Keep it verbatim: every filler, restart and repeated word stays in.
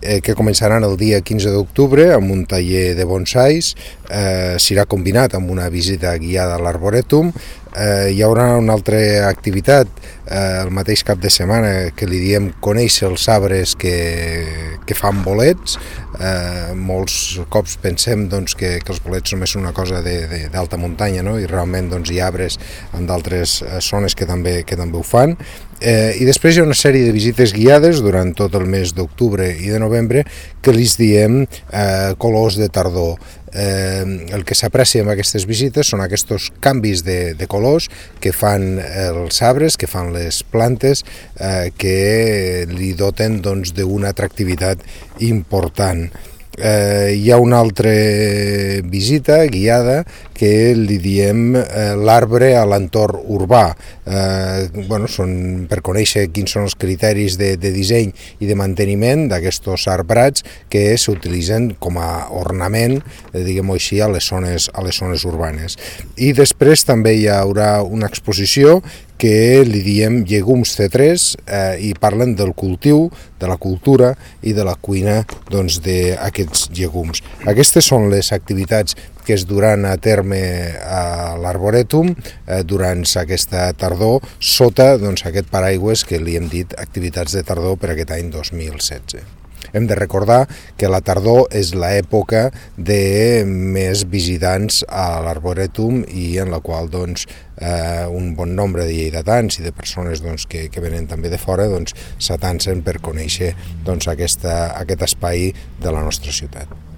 eh, que començaran el dia quinze d'octubre amb un taller de bonsais, eh, serà combinat amb una visita guiada a l'Arborètum. Eh, hi haurà una altra activitat eh, el mateix cap de setmana que li diem conèixer els arbres que, que fan bolets. Eh, molts cops pensem doncs, que, que els bolets només són una cosa d'alta muntanya, no? I realment doncs, hi ha arbres en d'altres zones que també, que també ho fan. Eh, I després hi ha una sèrie de visites guiades durant tot el mes d'octubre i de novembre que li diem eh, colors de tardor. Eh, el que s'aprecia amb aquestes visites són aquests canvis de, de colors que fan els arbres, que fan les plantes, eh, que li doten doncs, d'una atractivitat important. Eh, hi ha una altra visita guiada que li diem eh, l'arbre a l'entorn urbà. Eh, bueno, són per conèixer quins són els criteris de, de disseny i de manteniment d'aquests arbrats que s'utilitzen com a ornament, eh, diguem-ho així, a les zones, a les zones urbanes. I després també hi haurà una exposició que li diem llegums C tres eh, i parlen del cultiu, de la cultura i de la cuina doncs, d'aquests llegums. Aquestes són les activitats que es duran a terme a l'Arborètum eh, durant aquesta tardor, sota doncs, aquest paraigües que li hem dit activitats de tardor per aquest any dos mil setze. Hem de recordar que la tardor és l'època de més visitants a l'Arborètum i en la qual doncs, eh, un bon nombre de lleidatans i de persones doncs, que, que venen també de fora doncs, s'atancen per conèixer doncs, aquesta, aquest espai de la nostra ciutat.